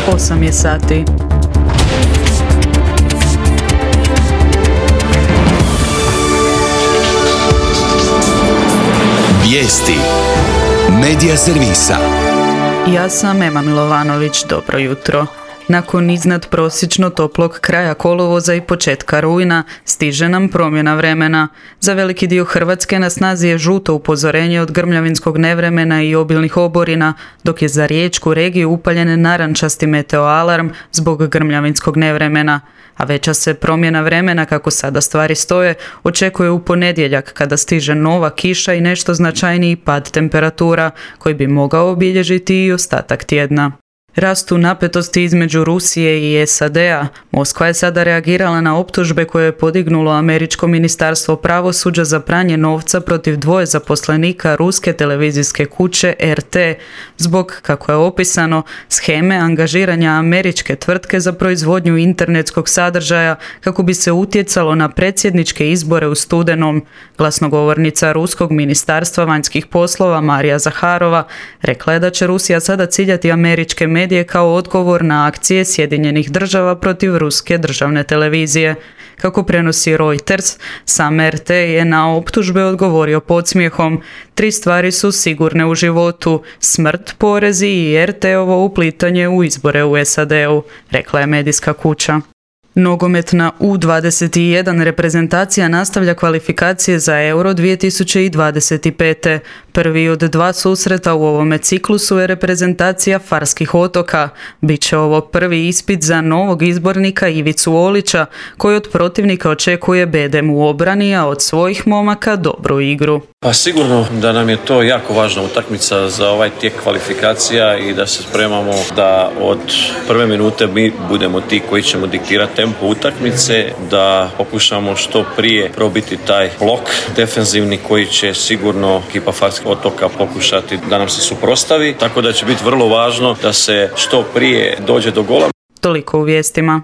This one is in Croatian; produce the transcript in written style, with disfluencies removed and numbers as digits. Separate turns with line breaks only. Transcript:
8 je sati.
Vijesti Medija servisa.
Ja sam Ema Milovanović, dobro jutro. Nakon iznadprosječno toplog kraja kolovoza i početka rujna stiže nam promjena vremena. Za veliki dio Hrvatske na snazi je žuto upozorenje od grmljavinskog nevremena i obilnih oborina, dok je za riječku regiju upaljen narančasti meteoalarm zbog grmljavinskog nevremena. A veća se promjena vremena, kako sada stvari stoje, očekuje u ponedjeljak kada stiže nova kiša i nešto značajniji pad temperatura koji bi mogao obilježiti i ostatak tjedna. Rastu napetosti između Rusije i SAD-a. Moskva je sada reagirala na optužbe koje je podignulo američko ministarstvo pravosuđa za pranje novca protiv dvoje zaposlenika ruske televizijske kuće RT zbog, kako je opisano, sheme angažiranja američke tvrtke za proizvodnju internetskog sadržaja kako bi se utjecalo na predsjedničke izbore u studenom. Glasnogovornica ruskog ministarstva vanjskih poslova Marija Zaharova rekla je da će Rusija sada ciljati američke medije kao odgovor na akcije Sjedinjenih država protiv ruske državne televizije. Kako prenosi Reuters, sam RT je na optužbe odgovorio podsmijehom. 3 stvari su sigurne u životu: smrt, porezi i RT-ovo uplitanje u izbore u SAD-u, rekla je medijska kuća. Nogometna U21 reprezentacija nastavlja kvalifikacije za Euro 2025. Prvi od 2 susreta u ovome ciklusu je reprezentacija Farskih otoka. Biće ovo prvi ispit za novog izbornika Ivicu Olića, koji od protivnika očekuje bedem u obrani, a od svojih momaka dobru igru.
Pa sigurno da nam je to jako važna utakmica za ovaj tijek kvalifikacija i da se spremamo da od prve minute mi budemo ti koji ćemo diktirati tempo utakmice, da pokušamo što prije probiti taj blok defenzivni koji će sigurno ekipa Farskih otoka pokušati da nam se suprotstavi, tako da će biti vrlo važno da se što prije dođe do gola.
Toliko u vijestima.